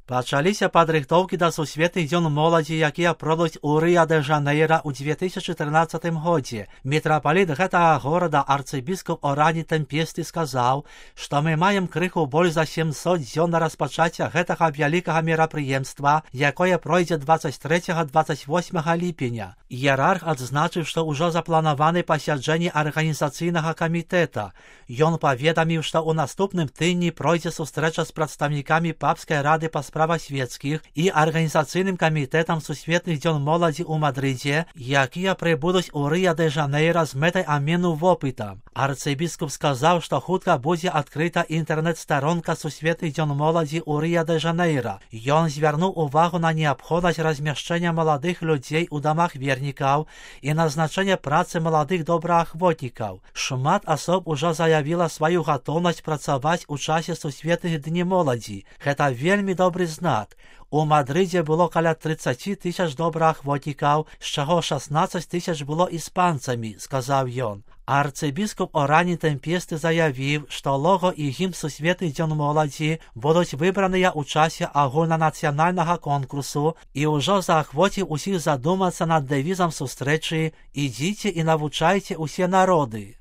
Пачаліся падрыхтоўкі да сусветных дзён моладзі, якія пройдуць у Рыа-дэ-Жанейра ў 2014 годзе. Мітрапаліт гэтага горада арцыбіскуп Орані Тэмпесты сказаў, што мы маем крыху больш за 700 дзён на распачацця гэтага вялікага мерапрыемства, якое пройдзе 23-28 ліпеня. Іерарх адзначыў, што ўжо запланаваны пасяджэнні арганізацыйнага камітэта. Ён паведаміў, што ў наступным тыдні пройдзе сустрэча з прадстаўнікамі папскай рады па справах свецкіх і арганізацыйным камітэтам сусветных дзён моладзі ў Мадрыдзе, якія прыбудуць у Рыа-дэ-Жанейра з мэтай абмену вопытам. Арцыбіскуп сказаў, што хутка будзе адкрыта інтэрнэт-старонка сусветных дзён моладзі ў Рыа-дэ-Жанейра. Ён звярнуў увагу на неабходнасць размяшчэння маладых людзей у дамах вернікаў і назначэння працы маладых добраахвотнікаў. Шмат асоб ужо заявіла сваю гатоўнасць працаваць у часе сусветных дні моладзі. Гэта вельмі добры знак. У Мадрыдзе было каля 30 000 добраахвотнікаў, з чаго 16 000 было іспанцамі, сказаў ён. Арцыбіскуп Орані Тэмпесты заявіў, што лого і гімн сусветных дзён моладзі будуць выбраныя ў часе агульнанацыянальнага конкурсу і ўжо заахвоціў усіх задумацца над дэвізам сустрэчы «Ідзіце і навучайце ўсе народы».